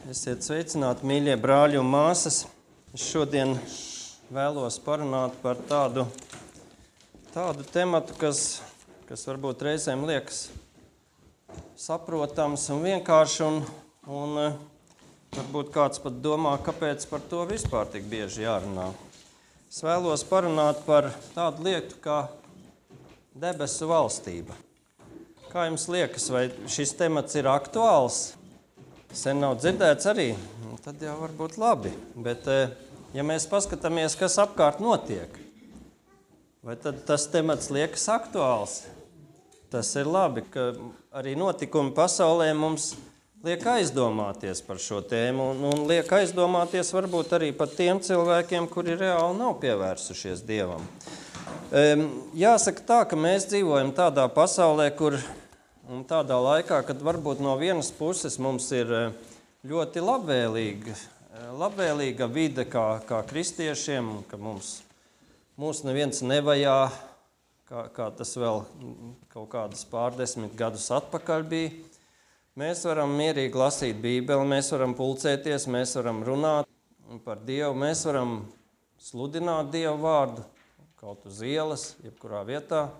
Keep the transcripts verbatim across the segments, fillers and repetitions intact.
Esiet sveicināti, mīļie brāļi un māsas. Es šodien vēlos parunāt par tādu, tādu tematu, kas, kas varbūt reizēm liekas saprotams un vienkārši, un, un varbūt kāds pat domā, kāpēc par to vispār tik bieži jārunā. Es vēlos parunāt par tādu lietu kā debesu valstība. Kā jums liekas, vai šis temats ir aktuāls? Sen nav dzirdēts arī, tad jau var būt labi. Bet, ja mēs paskatāmies, kas apkārt notiek, vai tad tas temats liekas aktuāls? Tas ir labi, ka arī notikumi pasaulē mums liek aizdomāties par šo tēmu, un, un liek aizdomāties varbūt arī par tiem cilvēkiem, kuri reāli nav pievērsušies Dievam. Jāsaka tā, ka mēs dzīvojam tādā pasaulē, kur un tādā laikā, kad varbūt no vienas puses mums ir ļoti labvēlīga, labvēlīga vide kā, kā kristiešiem, ka mums, mūs neviens nevajā, kā, kā tas vēl kaut kādus pārdesmit gadus atpakaļ bija. Mēs varam mierīgi lasīt Bībeli, mēs varam pulcēties, mēs varam runāt par Dievu, mēs varam sludināt Dievu vārdu kaut uz ielas, jebkurā vietā.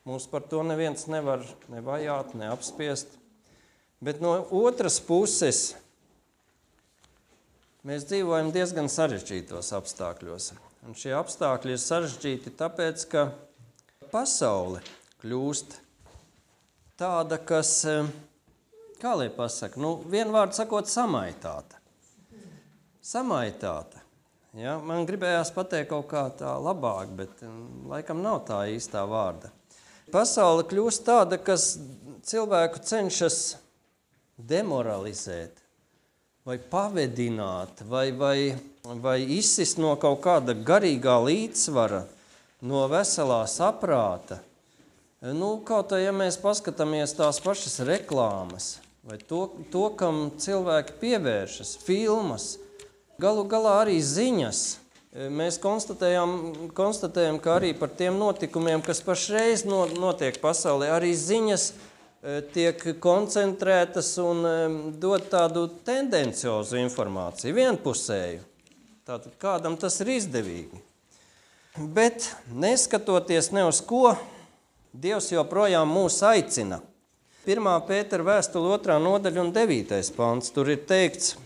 Mums par to neviens nevar ne vajāt, ne apspiest. Bet no otras puses mēs dzīvojam diezgan sarežģītos apstākļos. Un šie apstākļi ir sarežģīti tāpēc, ka pasaule kļūst tāda, kas, kā lai pasaka, nu, vienvārdu sakot, samaitāta. Samaitāta. Ja? Man gribējās pateikt kaut kā tā labāk, bet laikam nav tā īstā vārda. Pasaule kļūst tāda, kas cilvēku cenšas demoralizēt, vai pavedināt, vai, vai, vai izsist no kaut kāda garīgā līdzsvara, no veselā saprāta. Nu, kaut kā, ja mēs paskatāmies tās pašas reklāmas, vai to, to kam cilvēki pievēršas, filmas, galu galā arī ziņas. Mēs konstatējam, konstatējam, ka arī par tiem notikumiem, kas pašreiz notiek pasaulē, arī ziņas tiek koncentrētas un dod tādu tendenciozu informāciju, vienpusēju. Tātad kādam tas ir izdevīgi. Bet neskatoties ne uz ko, Dievs joprojām mūs aicina. Pirmā Pētera vēstule otrā nodaļa un devītais pants, tur ir teikts: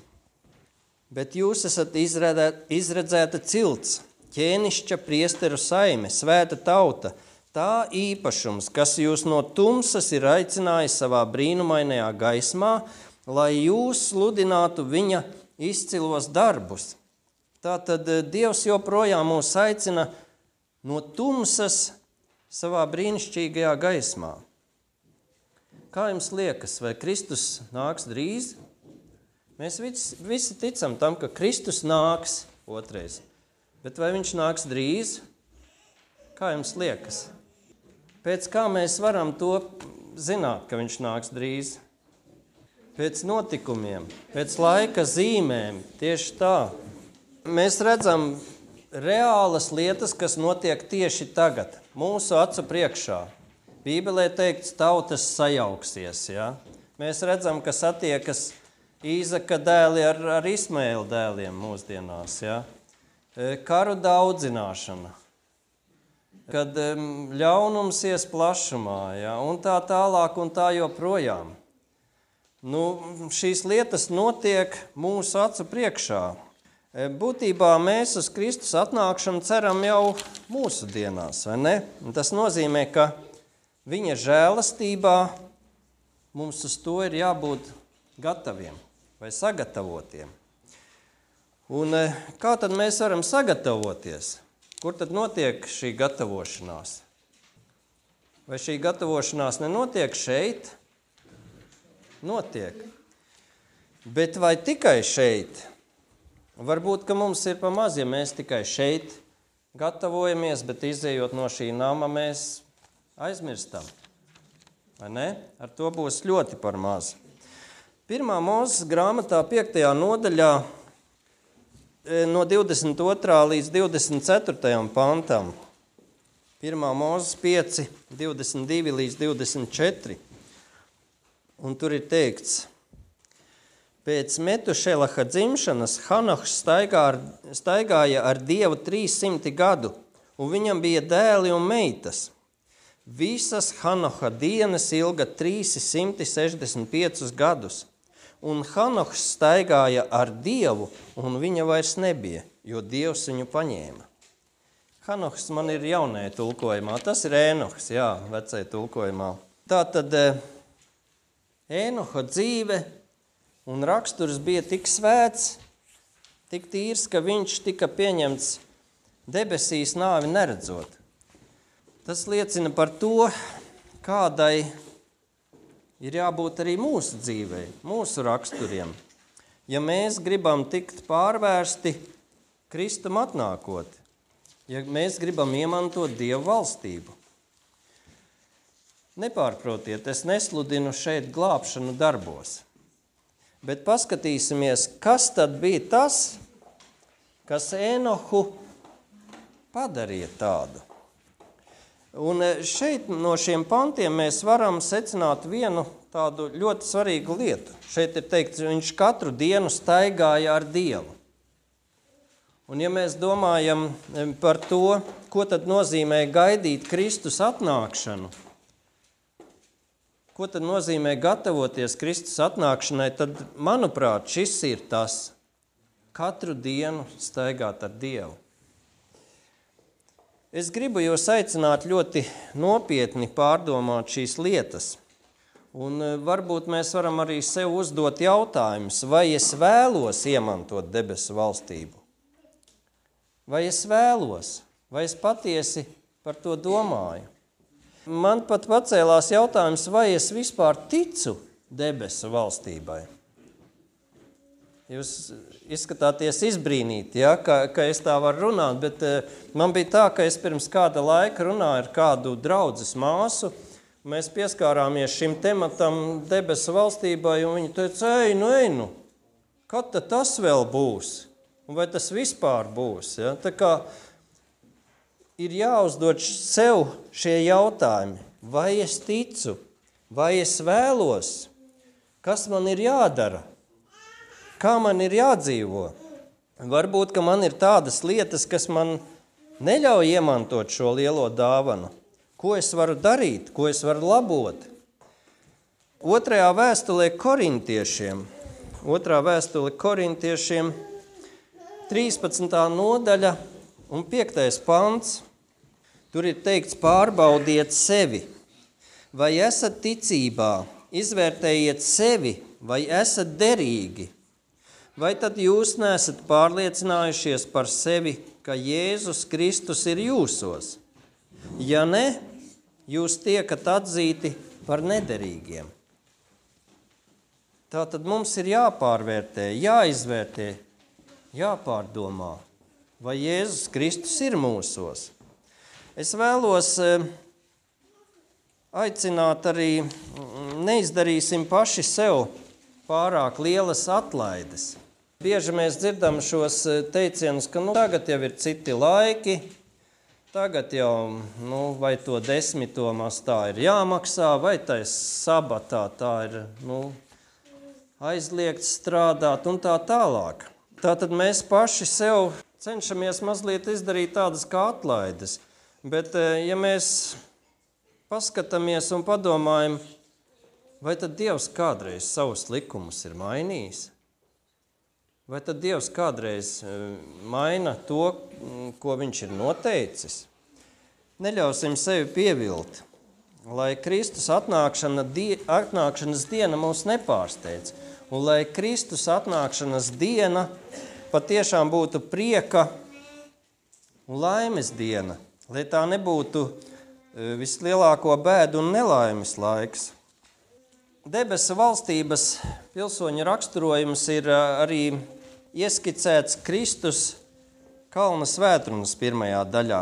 bet jūs esat izredzēta cilts, ķēnišķa priesteru saime, svēta tauta, tā īpašums, kas jūs no tumsas ir aicinājis savā brīnumainajā gaismā, lai jūs sludinātu viņa izcilos darbus. Tātad Dievs joprojām mūs aicina no tumsas savā brīnišķīgajā gaismā. Kā jums liekas, vai Kristus nāks drīz? Mēs visi, visi ticam tam, ka Kristus nāks otrais. Bet vai viņš nāks drīz? Kā jums liekas? Pēc kā mēs varam to zināt, ka viņš nāks drīz? Pēc notikumiem, pēc laika zīmēm, tieši tā. Mēs redzam reālas lietas, kas notiek tieši tagad, mūsu acu priekšā. Bībelē teikts, tautas sajauksies. Ja? Mēs redzam, ka satiekas Īzaka dēli ar, ar Ismaēla dēliem mūsdienās, ja? Karu daudzināšana, kad ļaunums ies plašumā, ja? Un tā tālāk un tā joprojām. Nu, šīs lietas notiek mūsu acu priekšā. Būtībā mēs uz Kristus atnākšanu ceram jau mūsu dienās, vai ne? Un tas nozīmē, ka viņa žēlastībā mums uz to ir jābūt gataviem vai sagatavotiem. Un kā tad mēs varam sagatavoties? Kur tad notiek šī gatavošanās? Vai šī gatavošanās nenotiek šeit? Notiek. Bet vai tikai šeit? Varbūt, ka mums ir pa maz, ja mēs tikai šeit gatavojamies, bet izējot no šī nama mēs aizmirstam. Vai ne? Ar to būs ļoti par maz. Pirmā Mūzes grāmatā piektajā nodaļā no divdesmit otrā līdz divdesmit ceturtajam pantam. Pirmā Mūzes pieci, divdesmit divi līdz divdesmit četri. Un tur ir teikts: Pēc Metušelaha dzimšanas Hanohs staigā ar, staigāja ar Dievu trīssimti gadu, un viņam bija dēli un meitas. Visas Hanoha dienas ilga trīssimti sešdesmit piecus gadus, un Hanohs staigāja ar Dievu, un viņa vairs nebija, jo Dievs viņu paņēma. Hanohs man ir jaunajā tulkojumā, tas ir Ēnohs, jā, vecajā tulkojumā. Tātad Ēnoha dzīve un raksturs bija tik svēts, tik tīrs, ka viņš tika pieņemts debesīs nāvi neredzot. Tas liecina par to, kādai ir jābūt arī mūsu dzīvei, mūsu raksturiem. Ja mēs gribam tikt pārvērsti Kristum atnākot, ja mēs gribam iemantot Dievu valstību. Nepārprotiet, es nesludinu šeit glābšanu darbos. Bet paskatīsimies, kas tad bija tas, kas Ēnohu padarīja tādu. Un šeit no šiem pantiem mēs varam secināt vienu tādu ļoti svarīgu lietu. Šeit ir teikts, viņš katru dienu staigāja ar Dievu. Un ja mēs domājam par to, ko tad nozīmē gaidīt Kristus atnākšanu, ko tad nozīmē gatavoties Kristus atnākšanai, tad, manuprāt, šis ir tas, katru dienu staigāt ar Dievu. Es gribu jūs aicināt ļoti nopietni pārdomāt šīs lietas, un varbūt mēs varam arī sev uzdot jautājumus, vai es vēlos iemantot debesu valstību? Vai es vēlos? Vai es patiesi par to domāju? Man pat pacēlās jautājums, vai es vispār ticu debesu valstībai. Jūs izskatāties izbrīnīti, ja, ka, ka es tā varu runāt, bet man bija tā, ka es pirms kāda laika runāju ar kādu draudzes māsu. Mēs pieskārāmies šim tematam debesu valstībai, un viņa teica, ej, nu, ej, nu, kad tad tas vēl būs? Un vai tas vispār būs? Ja? Tā kā ir jāuzdod sev šie jautājumi, vai es ticu, vai es vēlos, kas man ir jādara, kā man ir jādzīvo. Varbūt, ka man ir tādas lietas, kas man neļauj iemantot šo lielo dāvanu. Ko es varu darīt, ko es varu labot? Otrajā vēstulē korintiešiem, otrā vēstule korintiešiem, trīspadsmitā nodaļa un piektais pants, tur ir teikts, pārbaudiet sevi, vai esat ticībā, izvērtējiet sevi, vai esat derīgi, vai tad jūs neesat pārliecinājušies par sevi, ka Jēzus Kristus ir jūsos? Ja ne, jūs tiekat atzīti par nederīgiem. Tātad mums ir jāpārvērtē, jāizvērtē, jāpārdomā, vai Jēzus Kristus ir mūsos. Es vēlos aicināt arī, neizdarīsim paši sev pārāk lielas atlaides. Bieži mēs dzirdam šos teicienus, ka nu, tagad jau ir citi laiki, tagad jau, nu, vai to desmito mastā ir jāmaksā, vai tais sabatā tā ir, nu, aizliegts strādāt un tā tālāk. Tātad mēs paši sev cenšamies mazliet izdarīt tādas kā atlaides. Bet, ja mēs paskatāmies un padomājam, vai tad Dievs kādreiz savus likumus ir mainījis? Vai tad Dievs kādreiz maina to, ko viņš ir noteicis? Neļausim sevi pievilt, lai Kristus atnākšana, atnākšanas diena mūs nepārsteidz, un lai Kristus atnākšanas diena patiešām būtu prieka un laimes diena, lai tā nebūtu vislielāko bēdu un nelaimes laiks. Debesu valstības pilsoņu raksturojums ir arī ieskicēts Kristus kalna svētrunas pirmajā daļā.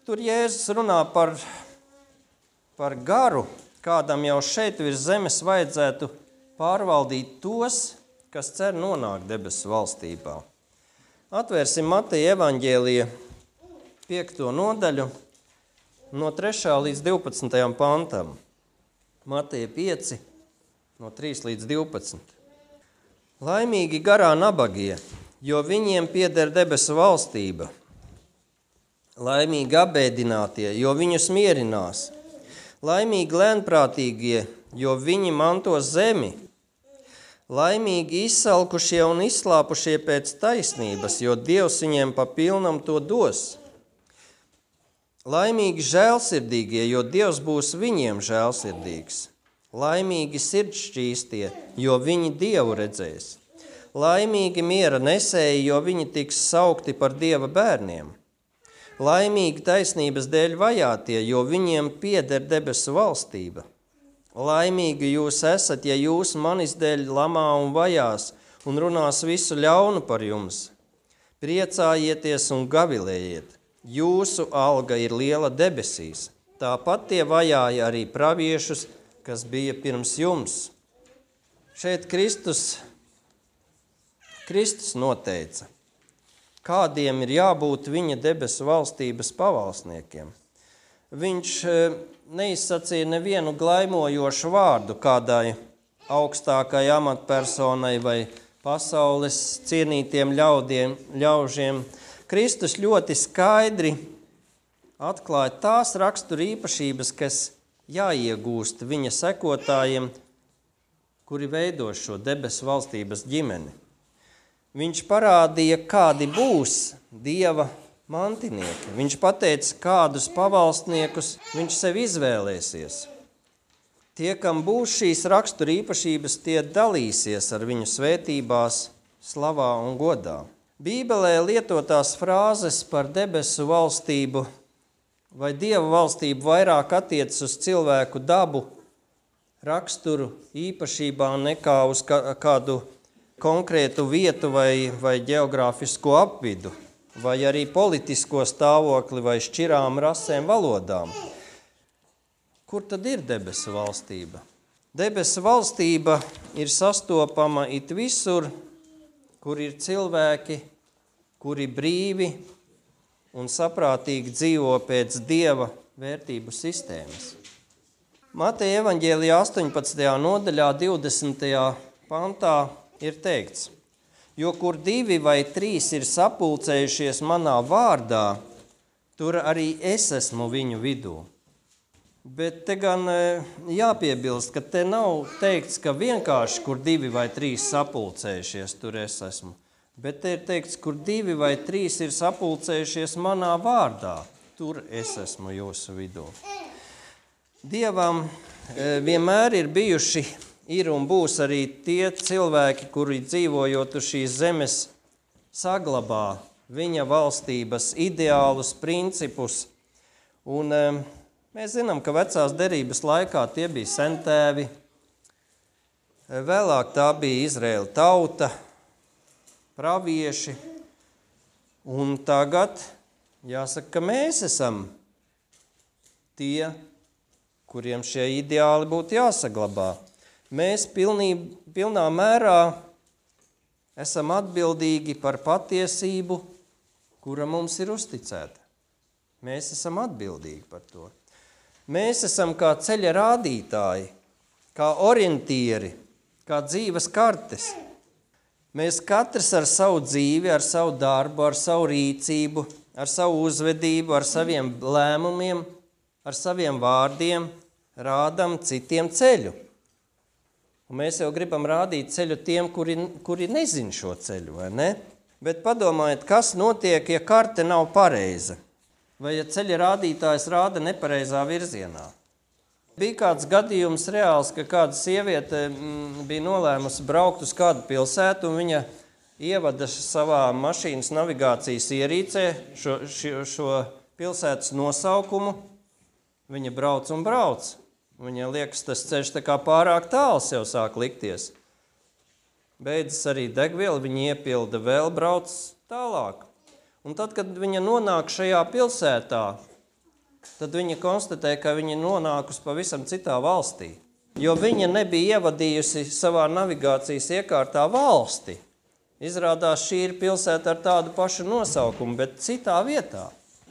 Tur Jēzus runā par, par garu, kādam jau šeit virs zemes vajadzētu pārvaldīt tos, kas cer nonākt debesu valstībā. Atvērsim Mateja evaņģēlija piekto nodaļu no trešā līdz divpadsmitajam pantam. Mateja pieci, no trīs līdz divpadsmit. Laimīgi garā nabagie, jo viņiem pieder debesu valstība. Laimīgi apbēdinātie, jo viņus mierinās. Laimīgi lēnprātīgie, jo viņi mantos zemi. Laimīgi izsalkušie un izslāpušie pēc taisnības, jo Dievs viņiem pa pilnam to dos. Laimīgi žēlsirdīgie, jo Dievs būs viņiem žēlsirdīgs. Laimīgi sirdšķīstie, jo viņi Dievu redzēs. Laimīgi miera nesēji, jo viņi tiks saukti par Dieva bērniem. Laimīgi taisnības dēļ vajātie, jo viņiem pieder debesu valstība. Laimīgi jūs esat, ja jūs manis dēļ lamā un vajās un runās visu ļaunu par jums. Priecājieties un gavilējiet, jūsu alga ir liela debesīs. Tāpat tie vajāja arī praviešus, kas bija pirms jums. Šeit Kristus, Kristus noteica, kādiem ir jābūt viņa debesu valstības pavalsniekiem. Viņš neizsacīja nevienu glaimojošu vārdu kādai augstākai amatpersonai vai pasaules cienītiem ļaudiem, ļaužiem. Kristus ļoti skaidri atklāja tās rakstura īpašības, kas jāiegūst viņa sekotājiem, kuri veido šo debesu valstības ģimeni. Viņš parādīja, kādi būs Dieva mantinieki. Viņš pateica, kādus pavalstniekus viņš sev izvēlēsies. Tie, kam būs šīs rakstura īpašības, tie dalīsies ar viņu svētībās, slavā un godā. Bībelē lietotās frāzes par debesu valstību vai Dieva valstību vairāk attiecas uz cilvēku dabu, raksturu, īpašībām nekā uz kādu konkrētu vietu vai, vai ģeogrāfisko apvidu, vai arī politisko stāvokli vai šķirām rasēm valodām. Kur tad ir debesu valstība? Debesu valstība ir sastopama it visur, kur ir cilvēki, kuri brīvi un saprātīgi dzīvo pēc Dieva vērtību sistēmas. Mateja evaņģēlijā astoņpadsmitajā nodaļā divdesmitajā pantā ir teikts, jo kur divi vai trīs ir sapulcējušies manā vārdā, tur arī es esmu viņu vidū. Bet te gan jāpiebilst, ka te nav teikts, ka vienkārši kur divi vai trīs sapulcējušies, tur es esmu. Bet te ir teikts, kur divi vai trīs ir sapulcējušies manā vārdā, tur es esmu jūsu vidū. Dievam vienmēr ir bijuši, ir un būs arī tie cilvēki, kuri dzīvojot uz šīs zemes saglabā viņa valstības ideālus, principus. Un mēs zinām, ka vecās derības laikā tie bija sentēvi, vēlāk tā bija Izraēla tauta, pravieši, un tagad jāsaka, ka mēs esam tie, kuriem šie ideāli būtu jāsaglabā. Mēs pilnī, pilnā mērā esam atbildīgi par patiesību, kura mums ir uzticēta. Mēs esam atbildīgi par to. Mēs esam kā ceļa rādītāji, kā orientieri, kā dzīves kartes. Mēs katrs ar savu dzīvi, ar savu darbu, ar savu rīcību, ar savu uzvedību, ar saviem lēmumiem, ar saviem vārdiem rādam citiem ceļu. Un mēs jau gribam rādīt ceļu tiem, kuri, kuri nezin šo ceļu, vai ne? Bet padomājiet, kas notiek, ja karte nav pareiza, vai ja ceļa rādītājs rāda nepareizā virzienā. Bija kāds gadījums reāls, ka kāda sieviete bija nolēmusi braukt uz kādu pilsētu, un viņa ievada savā mašīnas navigācijas ierīcē šo, šo, šo pilsētas nosaukumu. Viņa brauc un brauc. Viņa liekas, tas ceļš tā kā pārāk tāls jau sāk likties. Beidzas arī degviela, viņa iepilda vēl, brauc tālāk. Un tad, kad viņa nonāk šajā pilsētā, tad viņa konstatē, ka viņa nonākusi pavisam citā valstī. Jo viņa nebija ievadījusi savā navigācijas iekārtā valsti. Izrādās, šī ir pilsēta ar tādu pašu nosaukumu, bet citā vietā.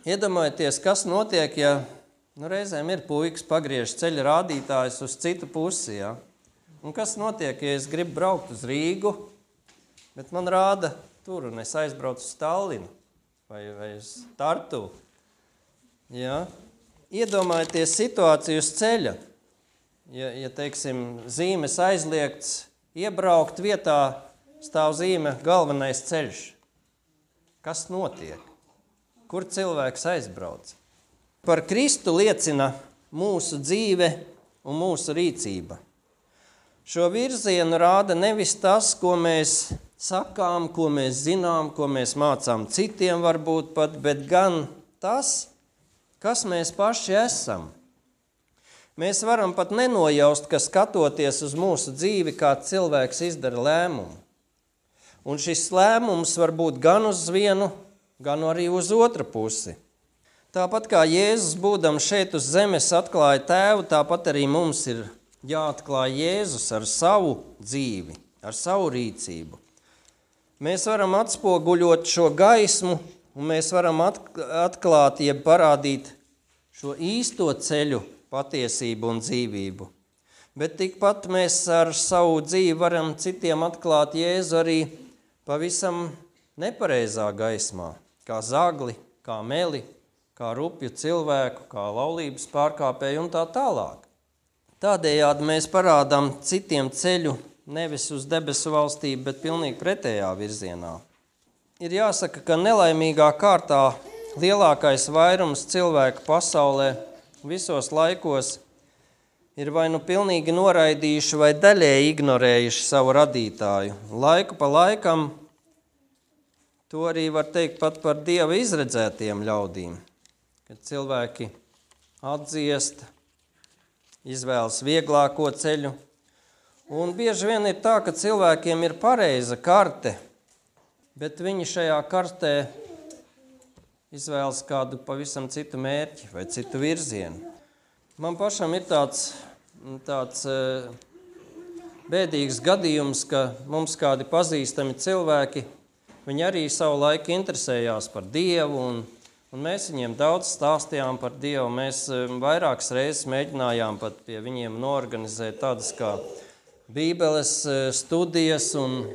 Iedomājieties, kas notiek, ja nu, reizēm ir puikas pagriež ceļa rādītājs uz citu pusi. Ja? Un kas notiek, ja es gribu braukt uz Rīgu, bet man rāda tur, un es aizbraucu uz Tallinu vai, vai uz Tartu. Ja? Iedomājieties situāciju uz ceļa. Ja, ja teiksim, zīmes aizliegts, iebraukt vietā stāv zīme galvenais ceļš. Kas notiek? Kur cilvēks aizbrauc? Par Kristu liecina mūsu dzīve un mūsu rīcība. Šo virzienu rāda nevis tas, ko mēs sakām, ko mēs zinām, ko mēs mācām citiem varbūt pat, bet gan tas, kas mēs paši esam. Mēs varam pat nenojaust, ka skatoties uz mūsu dzīvi, kā cilvēks izdara lēmumu. Un šis lēmums var būt gan uz vienu, gan arī uz otru pusi. Tāpat kā Jēzus būdams šeit uz zemes atklāja tēvu, tāpat arī mums ir jāatklāj Jēzus ar savu dzīvi, ar savu rīcību. Mēs varam atspoguļot šo gaismu, un mēs varam atklāt, jeb parādīt šo īsto ceļu, patiesību un dzīvību. Bet tikpat mēs ar savu dzīvi varam citiem atklāt Jēzu arī pavisam nepareizā gaismā, kā zagli, kā meli, kā rupju cilvēku, kā laulības pārkāpēju un tā tālāk. Tādējādi mēs parādām citiem ceļu nevis uz debesu valstību, bet pilnīgi pretējā virzienā. Ir jāsaka, ka nelaimīgā kārtā lielākais vairums cilvēku pasaulē visos laikos ir vai nu pilnīgi noraidījuši vai daļēji ignorējuši savu radītāju. Laiku pa laikam to arī var teikt pat par Dieva izredzētiem ļaudīm, kad cilvēki atdziest, izvēlas vieglāko ceļu. Un bieži vien ir tā, ka cilvēkiem ir pareiza karte, bet viņi šajā kartē izvēlas kādu pavisam citu mērķi vai citu virzienu. Man pašam ir tāds, tāds bēdīgs gadījums, ka mums kādi pazīstami cilvēki, viņi arī savu laiku interesējās par Dievu, un, un mēs viņiem daudz stāstījām par Dievu. Mēs vairākas reizes mēģinājām pat pie viņiem norganizēt tādas kā Bībeles studijas, un,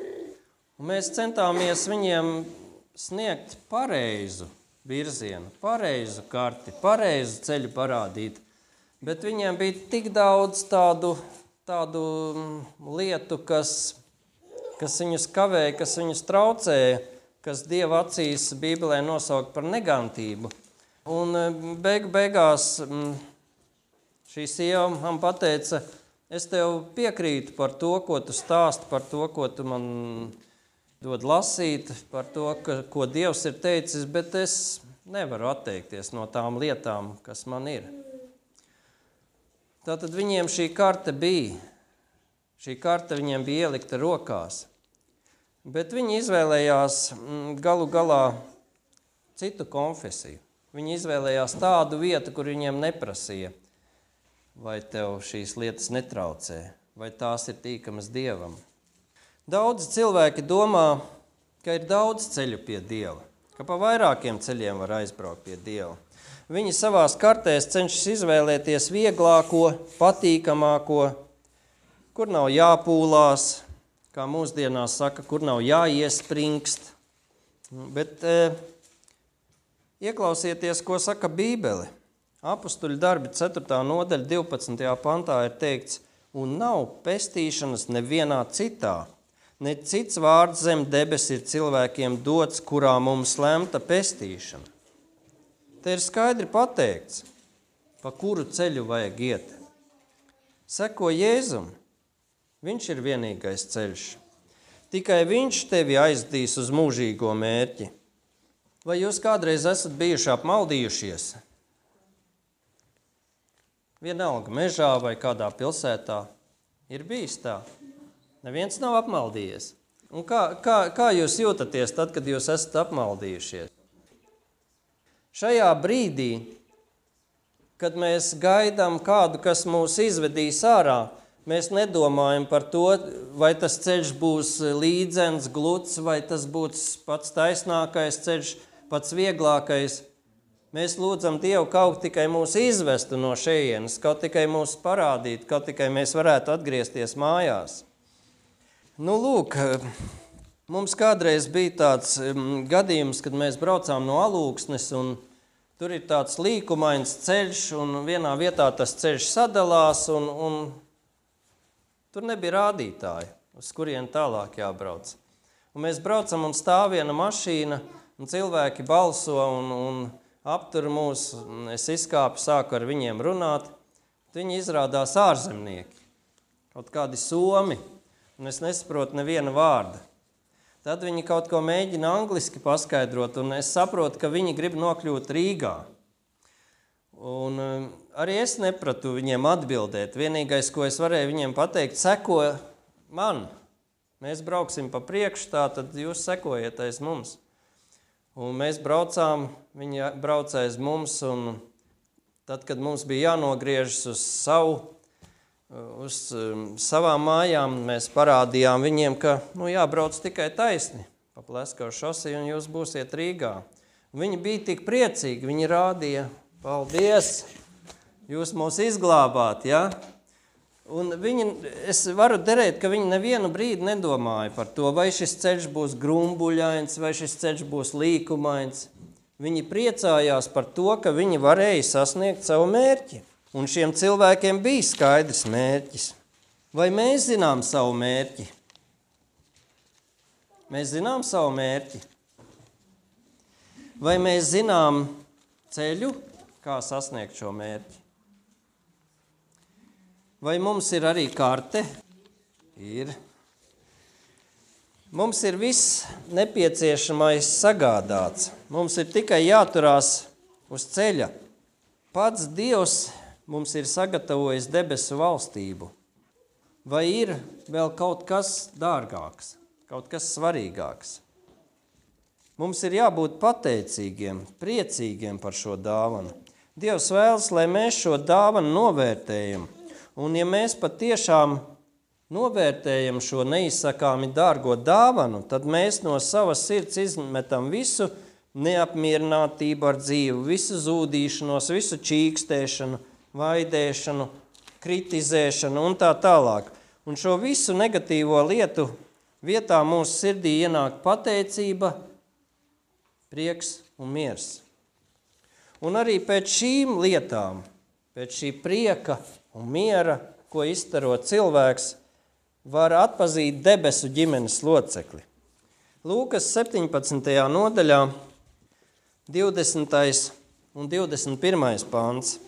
un mēs centāmies viņiem sniegt pareizu virzienu, pareizu karti, pareizu ceļu parādīt, bet viņiem bija tik daudz tādu, tādu lietu, kas, kas viņus kavēja, kas viņus traucēja, kas Dieva acīs Bībelē nosaukt par negantību. Un beigu beigās šī sieva man pateica, es tev piekrītu par to, ko tu stāsti, par to, ko tu man dod lasīt, par to, ka, ko Dievs ir teicis, bet es nevaru atteikties no tām lietām, kas man ir. Tātad viņiem šī karte bija, šī karte viņiem bija ielikta rokās, bet viņi izvēlējās galu galā citu konfesiju. Viņi izvēlējās tādu vietu, kur viņiem neprasīja, vai tev šīs lietas netraucē, vai tās ir tīkamas Dievam. Daudzi cilvēki domā, ka ir daudz ceļu pie Dieva, ka pa vairākiem ceļiem var aizbraukt pie Dieva. Viņi savās kartēs cenšas izvēlēties vieglāko, patīkamāko, kur nav jāpūlās, kā mūsdienās saka, kur nav jāiespringst. Bet e, ieklausieties, ko saka Bībele. Apostuļu darbi ceturtā nodaļa divpadsmitajā pantā ir teikts, un nav pestīšanas nevienā citā. Ne cits vārds zem debes ir cilvēkiem dots, kurā mums lemta pestīšana. Te ir skaidri pateikts, pa kuru ceļu vajag iet. Seko Jēzum, viņš ir vienīgais ceļš. Tikai viņš tevi aizdīs uz mūžīgo mērķi. Vai jūs kādreiz esat bijuši apmaldījušies? Vienalga mežā vai kādā pilsētā ir bijis tā. Neviens nav apmaldījies. Un kā, kā, kā jūs jūtaties tad, kad jūs esat apmaldījušies? Šajā brīdī, kad mēs gaidām kādu, kas mūs izvedīs ārā, mēs nedomājam par to, vai tas ceļš būs līdzens, gluds, vai tas būs pats taisnākais ceļš, pats vieglākais. Mēs lūdzam Dievu kaut tikai mūs izvestu no šejienes, kaut tikai mūs parādīt, kaut tikai mēs varētu atgriezties mājās. Nu, lūk, Mums kādreiz bija tāds um, gadījums, kad mēs braucām no Alūksnes, un tur ir tāds līkumains ceļš, un vienā vietā tas ceļš sadalās, un, un tur nebija rādītāji, uz kurien tālāk jābrauc. Un mēs braucam, un stāv viena mašīna, un cilvēki balso, un, un aptur mūs, un es izkāpu, sāku ar viņiem runāt. Viņi izrādās ārzemnieki, kaut kādi somi, un es nesaprotu neviena vārda. Tad viņi kaut ko mēģina angliski paskaidrot, un es saprotu, ka viņi grib nokļūt Rīgā. Un um, arī es nepratu viņiem atbildēt. Vienīgais, ko es varēju viņiem pateikt, seko man. Mēs brauksim pa priekšu, tā tad jūs sekojiet aiz mums. Un mēs braucām, viņi brauca aiz mums, un tad, kad mums bija jānogriežas uz savu, uz savām mājām, mēs parādījām viņiem, ka nu, jābrauc tikai taisni pa Pleskavu šoseju, un jūs būsiet Rīgā. Un viņi bija tik priecīgi, viņi rādīja, paldies, jūs mūs izglābāt, ja? Un viņi, es varu derēt, ka viņi nevienu brīdi nedomāja par to, vai šis ceļš būs grumbuļains, vai šis ceļš būs līkumains. Viņi priecājās par to, ka viņi varēja sasniegt savu mērķi. Un šiem cilvēkiem bija skaidrs mērķis. Vai mēs zinām savu mērķi? Mēs zinām savu mērķi? Vai mēs zinām ceļu, kā sasniegt šo mērķi? Vai mums ir arī karte? Ir. Mums ir viss nepieciešamais sagādāts. Mums ir tikai jāturās uz ceļa. Pats Dievs mums ir sagatavojis debesu valstību. Vai ir vēl kaut kas dārgāks, kaut kas svarīgāks? Mums ir jābūt pateicīgiem, priecīgiem par šo dāvanu. Dievs vēlas, lai mēs šo dāvanu novērtējam. Un ja mēs patiešām novērtējam šo neizsakāmi dārgo dāvanu, tad mēs no savas sirds izmetam visu neapmierinātību ar dzīvi, visu zūdīšanos, visu čīkstēšanu, vaidēšanu, kritizēšanu un tā tālāk. Un šo visu negatīvo lietu vietā mūsu sirdī ienāk pateicība, prieks un miers. Un arī pēc šīm lietām, pēc šī prieka un miera, ko izstaro cilvēks, var atpazīt debesu ģimenes locekli. Lūkas septiņpadsmitajā nodaļā, divdesmitais un divdesmit pirmais pants.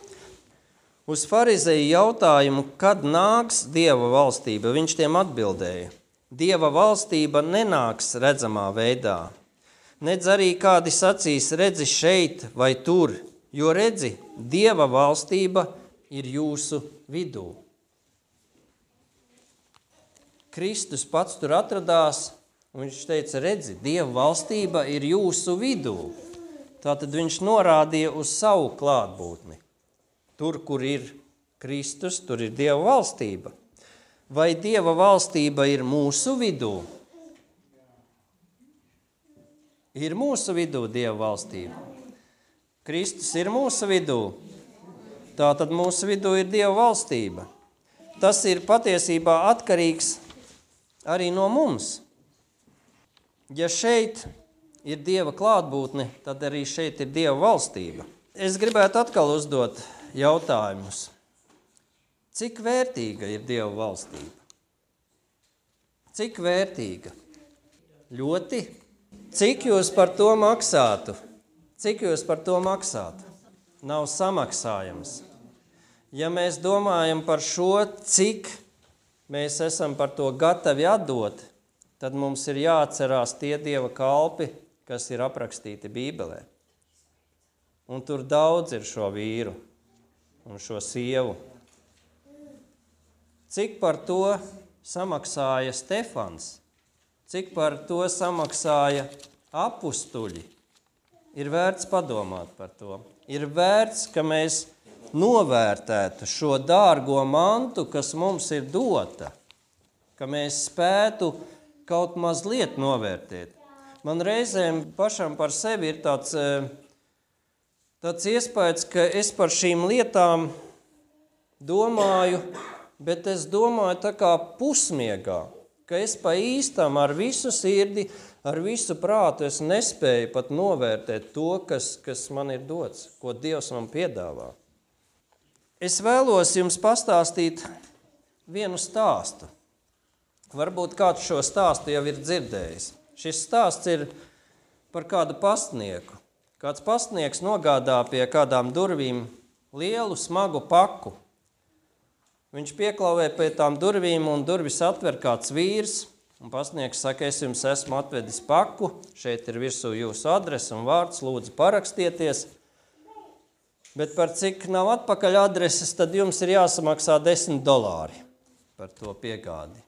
Uz farizeju jautājumu, kad nāks Dieva valstība, viņš tiem atbildēja. Dieva valstība nenāks redzamā veidā. Nedz arī kādi sacīs, redzi šeit vai tur, jo redzi, Dieva valstība ir jūsu vidū. Kristus pats tur atradās, un viņš teica, redzi, Dieva valstība ir jūsu vidū. Tātad viņš norādīja uz savu klātbūtni. Tur, kur ir Kristus, tur ir Dieva valstība. Vai Dieva valstība ir mūsu vidū? Ir mūsu vidū Dieva valstība. Kristus ir mūsu vidū. Tātad mūsu vidū ir Dieva valstība. Tas ir patiesībā atkarīgs arī no mums. Ja šeit ir Dieva klātbūtne, tad arī šeit ir Dieva valstība. Es gribētu atkal uzdot jautājumus. Cik vērtīga ir Dieva valstība? Cik vērtīga? Ļoti. Cik jūs par to maksātu? Cik jūs par to maksātu? Nav samaksājams. Ja mēs domājam par šo, cik mēs esam par to gatavi atdot, tad mums ir jāatcerās tie Dieva kalpi, kas ir aprakstīti Bībelē. Un tur daudz ir šo vīru un šo sievu. Cik par to samaksāja Stefans, cik par to samaksāja apustuļi, ir vērts padomāt par to. Ir vērts, ka mēs novērtētu šo dārgo mantu, kas mums ir dota, ka mēs spētu kaut mazliet novērtēt. Man reizēm pašam par sevi ir tāds... Tāds iespējas, ka es par šīm lietām domāju, bet es domāju tā kā pusmiegā, ka es pa īstam ar visu sirdi, ar visu prātu es nespēju pat novērtēt to, kas, kas man ir dots, ko Dievs man piedāvā. Es vēlos jums pastāstīt vienu stāstu. Varbūt kāds šo stāstu jau ir dzirdējis. Šis stāsts ir par kādu pastnieku. Kāds pastnieks nogādā pie kādām durvīm lielu, smagu paku. Viņš pieklauvē pie tām durvīm un durvis atver kāds vīrs. Un pastnieks saka, es jums esmu atvedis paku, šeit ir virsū jūsu adrese un vārds, lūdzu parakstieties. Bet par cik nav atpakaļ adreses, tad jums ir jāsamaksā desmit dolāri par to piegādi.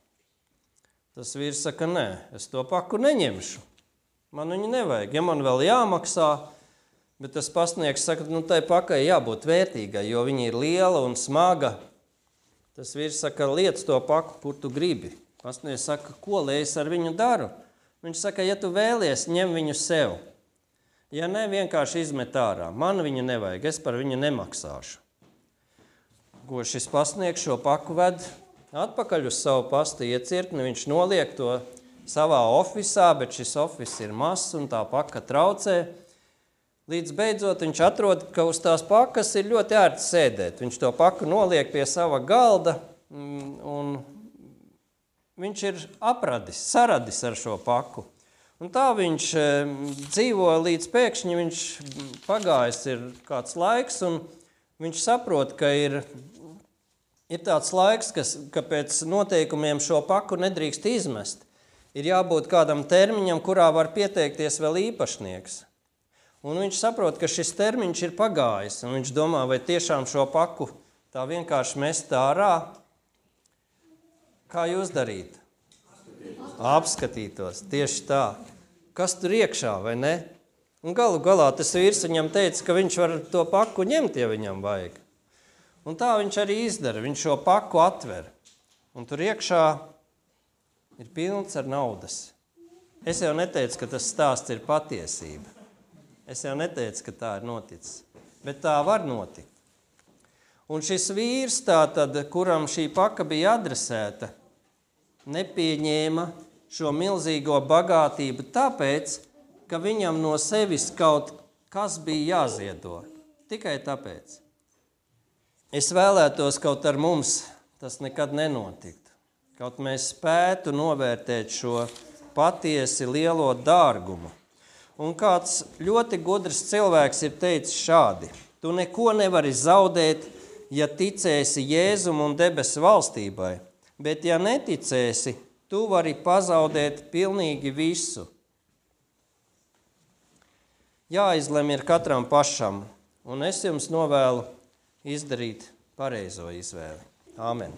Tas vīrs saka, nē, es to paku neņemšu. Man viņu nevajag, ja man vēl jāmaksā. Bet tas pastnieks saka, nu tai pakai jābūt vērtīgai, jo viņa ir liela un smaga. Tas vīrs saka, liec to paku, kur tu gribi. Pastnieks saka, ko lai es ar viņu daru? Viņš saka, ja tu vēlies, ņem viņu sev. Ja ne, vienkārši izmet ārā. Man viņu nevajag, es par viņu nemaksāšu. Ko šis pastnieks šo paku ved atpakaļ uz savu pasta iecirkni, viņš noliek to savā ofisā, bet šis ofis ir mazs un tā paka traucē. Līdz beidzot viņš atrod, ka uz tās pakas ir ļoti ērti sēdēt. Viņš to paku noliek pie sava galda un viņš ir apradis, saradis ar šo paku. Un tā viņš dzīvo līdz pēkšņi viņš pagājis ir kāds laiks un viņš saprot, ka ir, ir tāds laiks, kas, ka pēc noteikumiem šo paku nedrīkst izmest. Ir jābūt kādam termiņam, kurā var pieteikties vēl īpašnieks. Un viņš saprot, ka šis termiņš ir pagājis, un viņš domā, vai tiešām šo paku tā vienkārši mest ārā. Kā jūs darīt? Apskatītos, tieši tā. Kas tur iekšā, vai ne? Un galu galā tas vīrs viņam teica, ka viņš var to paku ņemt, ja viņam vajag. Un tā viņš arī izdara, viņš šo paku atver. Un tur iekšā ir pilns ar naudas. Es jau neteicu, ka tas stāsts ir patiesība. Es jau neteicu, ka tā ir noticis, bet tā var notikt. Un šis vīrs, tātad, kuram šī paka bija adresēta, nepieņēma šo milzīgo bagātību tāpēc, ka viņam no sevis kaut kas bija jāziedo. Tikai tāpēc. Es vēlētos, kaut ar mums tas nekad nenotiktu. Kaut mēs spētu novērtēt šo patiesi lielo dārgumu. Un kāds ļoti gudrs cilvēks ir teicis šādi. Tu neko nevari zaudēt, ja ticēsi Jēzum un debesu valstībai, bet ja neticēsi, tu vari pazaudēt pilnīgi visu. Jāizlem ir katram pašam, un es jums novēlu izdarīt pareizo izvēli. Āmen.